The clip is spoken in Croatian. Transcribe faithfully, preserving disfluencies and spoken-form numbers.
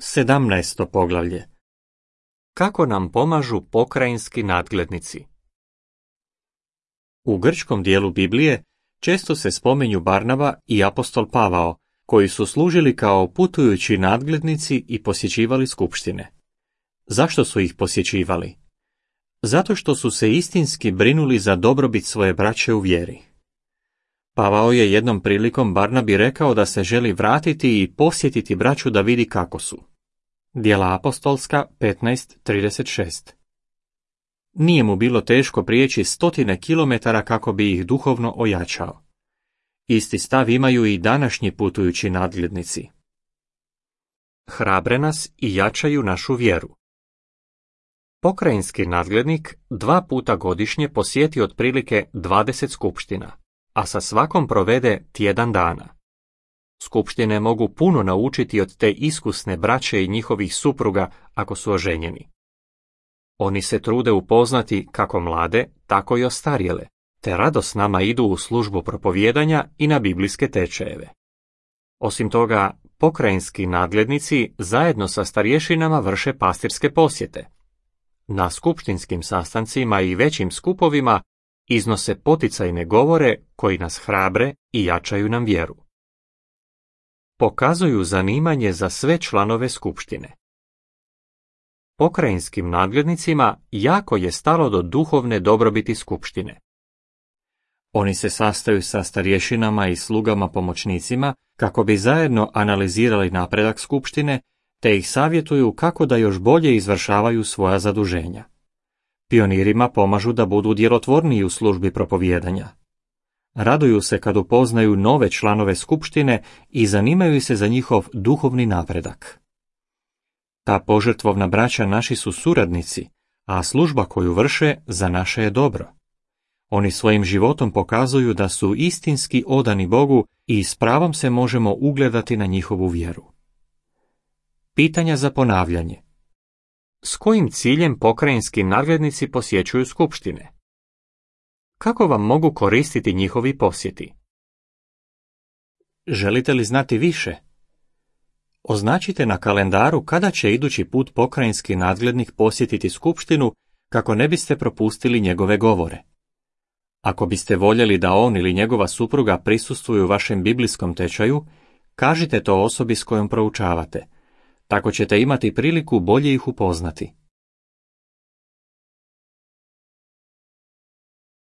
Sedamnaesto poglavlje. Kako nam pomažu pokrajinski nadglednici? U grčkom dijelu Biblije često se spominju Barnaba i apostol Pavao, koji su služili kao putujući nadglednici i posjećivali skupštine. Zašto su ih posjećivali? Zato što su se istinski brinuli za dobrobit svoje braće u vjeri. Pavao je jednom prilikom Barnabi rekao da se želi vratiti i posjetiti braću da vidi kako su. Djela apostolska petnaest trideset šest. Nije mu bilo teško prijeći stotine kilometara kako bi ih duhovno ojačao. Isti stav imaju i današnji putujući nadglednici. Hrabre nas i jačaju našu vjeru. Pokrajinski nadglednik dva puta godišnje posjeti otprilike dvadeset skupština, a sa svakom provede tjedan dana. Skupštine mogu puno naučiti od te iskusne braće i njihovih supruga ako su oženjeni. Oni se trude upoznati kako mlade, tako i ostarjele, te rado s nama idu u službu propovijedanja i na biblijske tečajeve. Osim toga, pokrajinski nadglednici zajedno sa starješinama vrše pastirske posjete. Na skupštinskim sastancima i većim skupovima iznose poticajne govore koji nas hrabre i jačaju nam vjeru. Pokazuju zanimanje za sve članove skupštine. Pokrajinskim nadglednicima jako je stalo do duhovne dobrobiti skupštine. Oni se sastaju sa starješinama i slugama pomoćnicima kako bi zajedno analizirali napredak skupštine, te ih savjetuju kako da još bolje izvršavaju svoja zaduženja. Pionirima pomažu da budu djelotvorniji u službi propovijedanja. Raduju se kad upoznaju nove članove skupštine i zanimaju se za njihov duhovni napredak. Ta požrtvovna braća naši su suradnici, a služba koju vrše za naše je dobro. Oni svojim životom pokazuju da su istinski odani Bogu i s pravom se možemo ugledati na njihovu vjeru. Pitanja za ponavljanje. S kojim ciljem pokrajinski nadglednici posjećuju skupštine? Kako vam mogu koristiti njihovi posjeti? Želite li znati više? Označite na kalendaru kada će idući put pokrajinski nadglednik posjetiti skupštinu kako ne biste propustili njegove govore. Ako biste voljeli da on ili njegova supruga prisustvuju vašem biblijskom tečaju, kažite to osobi s kojom proučavate. Tako ćete imati priliku bolje ih upoznati.